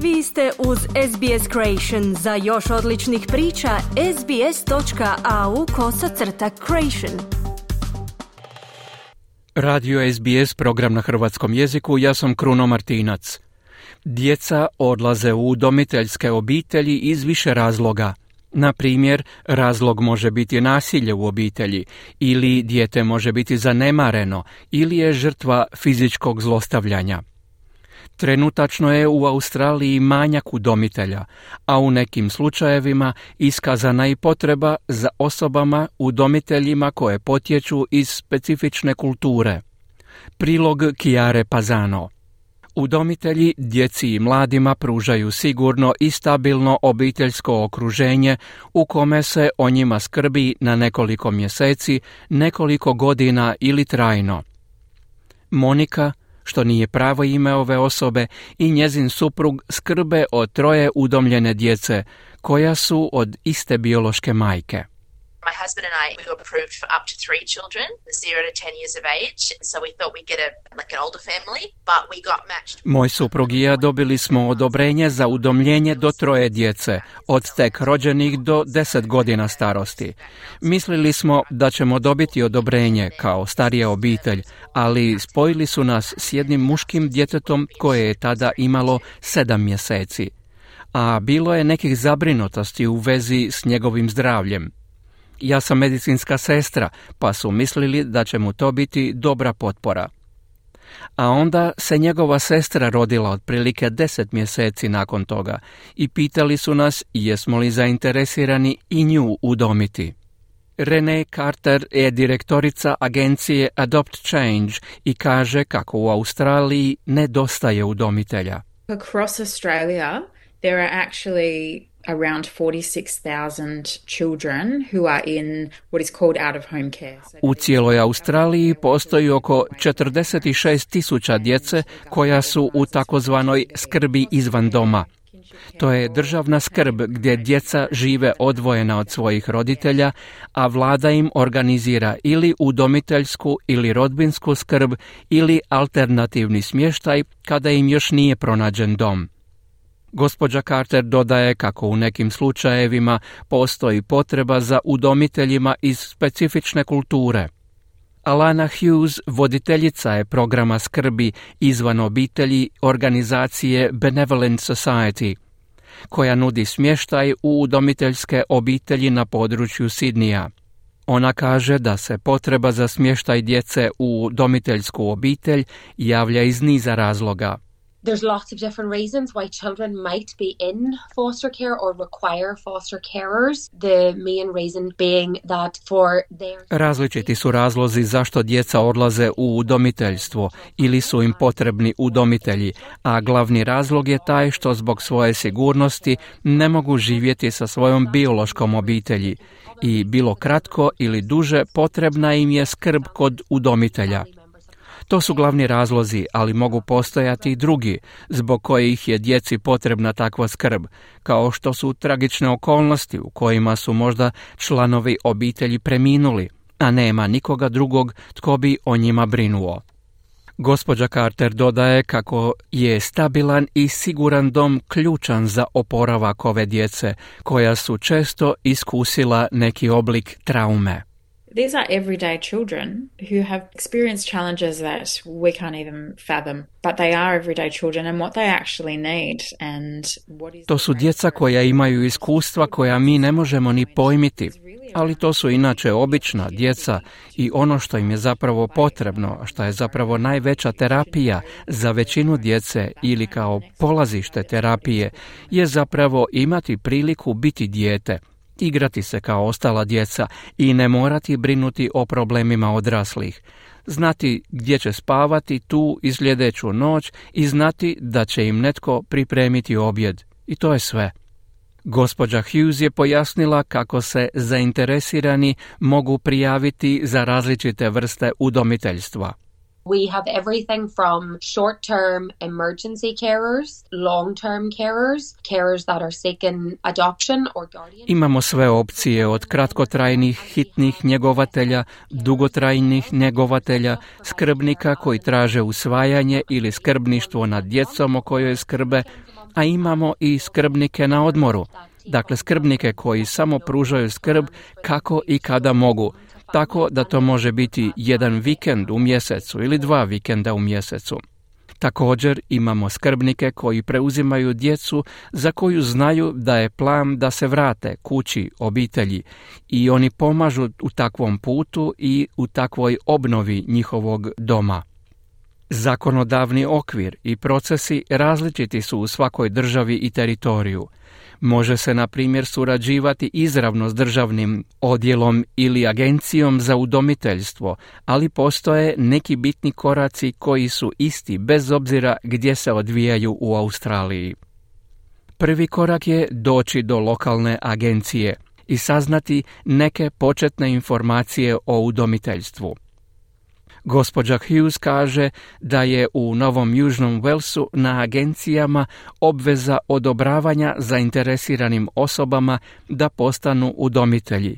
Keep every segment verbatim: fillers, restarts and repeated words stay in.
Vi ste uz S B S Creation. Za još odličnih priča, sbs.au kosacrta creation. Radio S B S, program na hrvatskom jeziku, ja sam Kruno Martinac. Djeca odlaze u udomiteljske obitelji iz više razloga. Na primjer, razlog može biti nasilje u obitelji, ili dijete može biti zanemareno, ili je žrtva fizičkog zlostavljanja. Trenutačno je u Australiji manjak udomitelja, a u nekim slučajevima iskazana i potreba za osobama udomiteljima koje potječu iz specifične kulture. Prilog Chiare Pazano. Udomitelji djeci i mladima pružaju sigurno i stabilno obiteljsko okruženje u kome se o njima skrbi na nekoliko mjeseci, nekoliko godina ili trajno. Monika, što nije pravo ime ove osobe, i njezin suprug skrbe o troje udomljene djece, koja su od iste biološke majke. My husband and I, we were approved for up to three children, zero to ten years of age, so we thought we'd get a, like an older family, but we got matched. Moj suprug i ja dobili smo odobrenje za udomljenje do troje djece, od tek rođenih do deset godina starosti. Mislili smo da ćemo dobiti odobrenje kao starija obitelj, ali spojili su nas s jednim muškim djetetom koje je tada imalo sedam mjeseci, a bilo je nekih zabrinutosti u vezi s njegovim zdravljem. Ja sam medicinska sestra, pa su mislili da će mu to biti dobra potpora. A onda se njegova sestra rodila otprilike deset mjeseci nakon toga i pitali su nas jesmo li zainteresirani i nju udomiti. Renee Carter je direktorica agencije Adopt Change i kaže kako u Australiji nedostaje udomitelja. Across Australia there are actually around forty-six thousand children who are in what is called out of home care. U cijeloj Australiji postoji oko četrdeset šest tisuća djece koja su u takozvanoj skrbi izvan doma. To je državna skrb gdje djeca žive odvojena od svojih roditelja, a vlada im organizira ili udomiteljsku ili rodbinsku skrb ili alternativni smještaj kada im još nije pronađen dom. Gospođa Carter dodaje kako u nekim slučajevima postoji potreba za udomiteljima iz specifične kulture. Alana Hughes, voditeljica je programa skrbi izvan obitelji organizacije Benevolent Society, koja nudi smještaj u udomiteljske obitelji na području Sidnija. Ona kaže da se potreba za smještaj djece u udomiteljsku obitelj javlja iz niza razloga. There's lots of different reasons why children might be in foster care or require foster carers. The main reason being that for their... Različiti su razlozi zašto djeca odlaze u udomiteljstvo ili su im potrebni udomitelji, a glavni razlog je taj što zbog svoje sigurnosti ne mogu živjeti sa svojom biološkom obitelji i bilo kratko ili duže potrebna im je skrb kod udomitelja. To su glavni razlozi, ali mogu postojati i drugi, zbog kojih je djeci potrebna takva skrb, kao što su tragične okolnosti u kojima su možda članovi obitelji preminuli, a nema nikoga drugog tko bi o njima brinuo. Gospođa Carter dodaje kako je stabilan i siguran dom ključan za oporavak ove djece, koja su često iskusila neki oblik traume. These are everyday children who have experienced challenges that we can't even fathom, but they are everyday children and what they actually need and what is... To su djeca koja imaju iskustva koja mi ne možemo ni pojmiti, ali to su inače obična djeca i ono što im je zapravo potrebno, što je zapravo najveća terapija za većinu djece ili kao polazište terapije, je zapravo imati priliku biti dijete, igrati se kao ostala djeca i ne morati brinuti o problemima odraslih. Znati gdje će spavati tu i sljedeću noć i znati da će im netko pripremiti objed. I to je sve. Gospođa Hughes je pojasnila kako se zainteresirani mogu prijaviti za različite vrste udomiteljstva. We have everything from short-term emergency carers, long-term carers, carers that are seeking adoption or guardian. Imamo sve opcije od kratkotrajnih hitnih njegovatelja, dugotrajnih njegovatelja, skrbnika koji traže usvajanje ili skrbništvo nad djecom o kojoj skrbe, a imamo i skrbnike na odmoru. Dakle, skrbnike koji samo pružaju skrb kako i kada mogu, tako da to može biti jedan vikend u mjesecu ili dva vikenda u mjesecu. Također imamo skrbnike koji preuzimaju djecu za koju znaju da je plan da se vrate kući, obitelji, i oni pomažu u takvom putu i u takvoj obnovi njihovog doma. Zakonodavni okvir i procesi različiti su u svakoj državi i teritoriju. Može se, na primjer, surađivati izravno s državnim odjelom ili agencijom za udomiteljstvo, ali postoje neki bitni koraci koji su isti bez obzira gdje se odvijaju u Australiji. Prvi korak je doći do lokalne agencije i saznati neke početne informacije o udomiteljstvu. Gospođa Hughes kaže da je u Novom Južnom Walesu na agencijama obveza odobravanja zainteresiranim osobama da postanu udomitelji,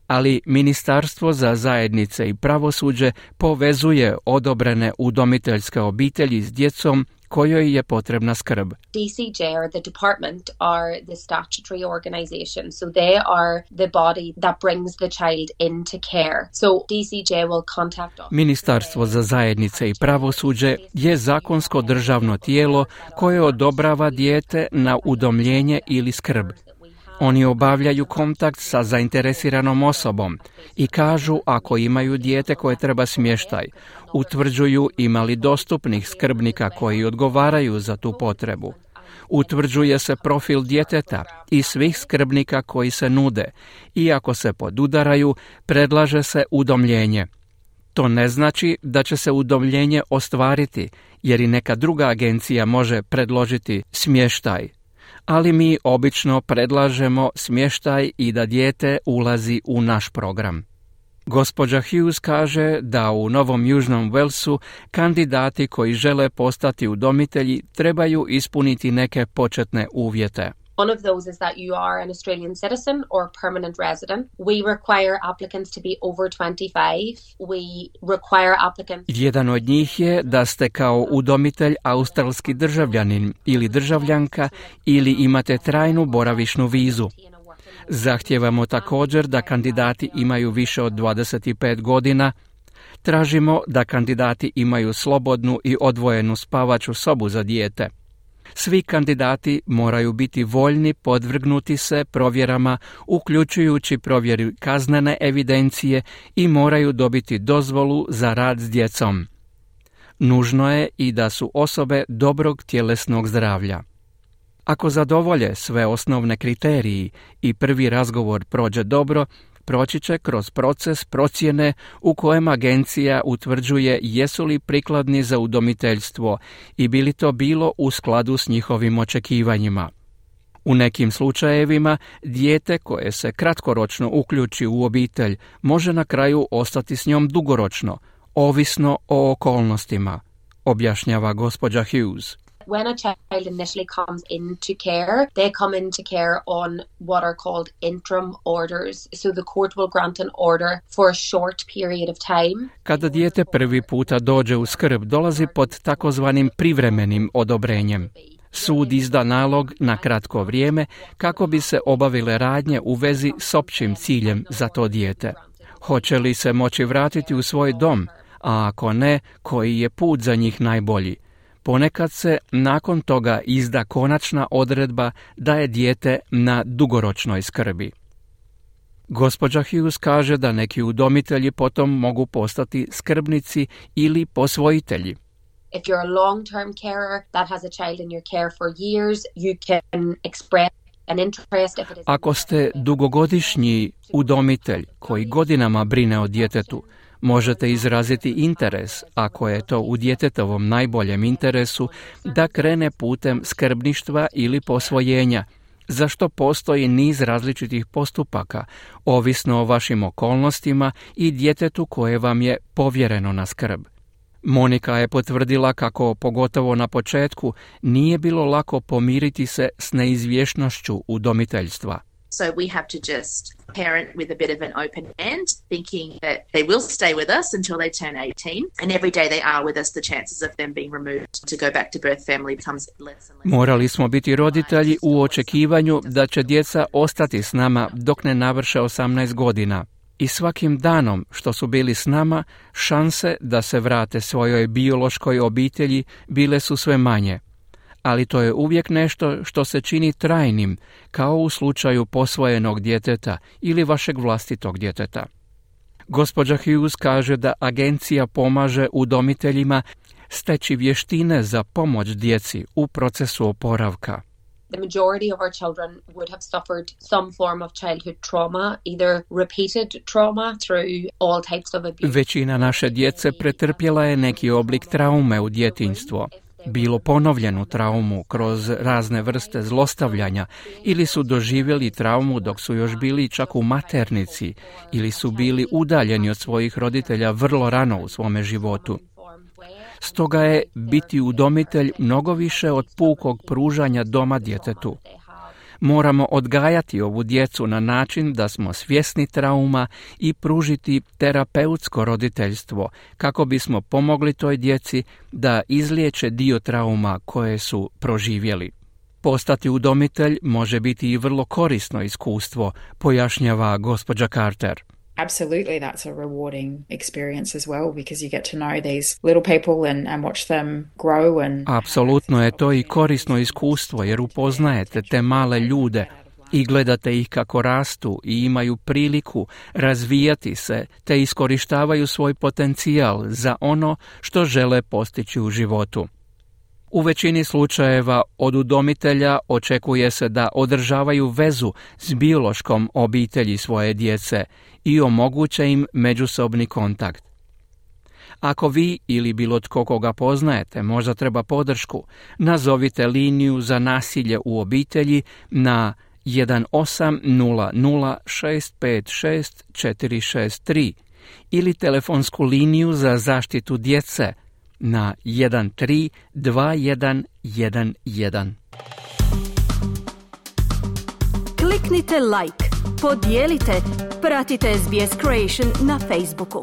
ali Ministarstvo za zajednice i pravosuđe povezuje odobrene udomiteljske obitelji s djecom kojoj je potrebna skrb. D C J or the department are the statutory organization, so they are the body that brings the child into care. So D C J will contact us. Ministarstvo za zajednice i pravosuđe je zakonsko državno tijelo koje odobrava dijete na udomljenje ili skrb. Oni obavljaju kontakt sa zainteresiranom osobom i kažu ako imaju dijete koje treba smještaj, utvrđuju ima li dostupnih skrbnika koji odgovaraju za tu potrebu. Utvrđuje se profil djeteta i svih skrbnika koji se nude i ako se podudaraju, predlaže se udomljenje. To ne znači da će se udomljenje ostvariti, jer i neka druga agencija može predložiti smještaj. Ali mi obično predlažemo smještaj i da dijete ulazi u naš program. Gospođa Hughes kaže da u Novom Južnom Walesu kandidati koji žele postati udomitelji trebaju ispuniti neke početne uvjete. One of those is that you are an Australian citizen or permanent resident. We require applicants to be over twenty-five. We require applicants... Jedan od njih je da ste kao udomitelj australski državljanin ili državljanka ili imate trajnu boravišnu vizu. Zahtijevamo također da kandidati imaju više od dvadeset pet godina. Tražimo da kandidati imaju slobodnu i odvojenu spavaću sobu za dijete. Svi kandidati moraju biti voljni podvrgnuti se provjerama, uključujući provjeru kaznene evidencije, i moraju dobiti dozvolu za rad s djecom. Nužno je i da su osobe dobrog tjelesnog zdravlja. Ako zadovolje sve osnovne kriteriji i prvi razgovor prođe dobro, proći će kroz proces procjene u kojem agencija utvrđuje jesu li prikladni za udomiteljstvo i bi li to bilo u skladu s njihovim očekivanjima. U nekim slučajevima dijete koje se kratkoročno uključi u obitelj može na kraju ostati s njom dugoročno, ovisno o okolnostima, objašnjava gospođa Hughes. When a child initially comes into care, they come into care on what are called interim orders. So the court will grant an order for a short period of time. Kada dijete prvi puta dođe u skrb, dolazi pod takozvanim privremenim odobrenjem. Sud izda nalog na kratko vrijeme kako bi se obavile radnje u vezi s općim ciljem za to dijete. Hoće li se moći vratiti u svoj dom, a ako ne, koji je put za njih najbolji? Ponekad se nakon toga izda konačna odredba da je dijete na dugoročnoj skrbi. Gospođa Hughes kaže da neki udomitelji potom mogu postati skrbnici ili posvojitelji. If you're a long-term carer that has a child in your care for years, you can express an interest if it is... Ako ste dugogodišnji udomitelj koji godinama brine o djetetu, možete izraziti interes, ako je to u djetetovom najboljem interesu, da krene putem skrbništva ili posvojenja, za što postoji niz različitih postupaka, ovisno o vašim okolnostima i djetetu koje vam je povjereno na skrb. Monika je potvrdila kako, pogotovo na početku, nije bilo lako pomiriti se s neizvjesnošću udomiteljstva. So we have to just parent with a bit of an open hand, thinking that they will stay with us until they turn eighteen. And every day they are with us, the chances of them being removed to go back to birth family becomes less and less. Morali smo biti roditelji u očekivanju da će djeca ostati s nama dok ne navrše osamnaest godina. I svakim danom što su bili s nama, šanse da se vrate svojoj biološkoj obitelji bile su sve manje. Ali to je uvijek nešto što se čini trajnim, kao u slučaju posvojenog djeteta ili vašeg vlastitog djeteta. Gospođa Hughes kaže da agencija pomaže udomiteljima steći vještine za pomoć djeci u procesu oporavka. The majority of our children would have suffered some form of childhood trauma, either repeated trauma through all types of abuse. Većina naše djece pretrpjela je neki oblik traume u djetinjstvo, bilo ponovljenu traumu kroz razne vrste zlostavljanja ili su doživjeli traumu dok su još bili čak u maternici ili su bili udaljeni od svojih roditelja vrlo rano u svome životu. Stoga je biti udomitelj mnogo više od pukog pružanja doma djetetu. Moramo odgajati ovu djecu na način da smo svjesni trauma i pružiti terapeutsko roditeljstvo kako bismo pomogli toj djeci da izliječe dio trauma koje su proživjeli. Postati udomitelj može biti i vrlo korisno iskustvo, pojašnjava gospođa Carter. Absolutely, that's a rewarding experience as well because you get to know these little people and, and watch them grow. And Apsolutno je to i korisno iskustvo jer upoznajete te male ljude i gledate ih kako rastu i imaju priliku razvijati se te iskorištavaju svoj potencijal za ono što žele postići u životu. U većini slučajeva od udomitelja očekuje se da održavaju vezu s biološkom obitelji svoje djece i omoguće im međusobni kontakt. Ako vi ili bilo tko koga poznajete možda treba podršku, nazovite liniju za nasilje u obitelji na jedan osam nula nula šest pet šest četiri šest tri ili telefonsku liniju za zaštitu djece na jedan tri dva jedan jedan jedan. Kliknite like, podijelite, pratite S B S Creation na Facebooku.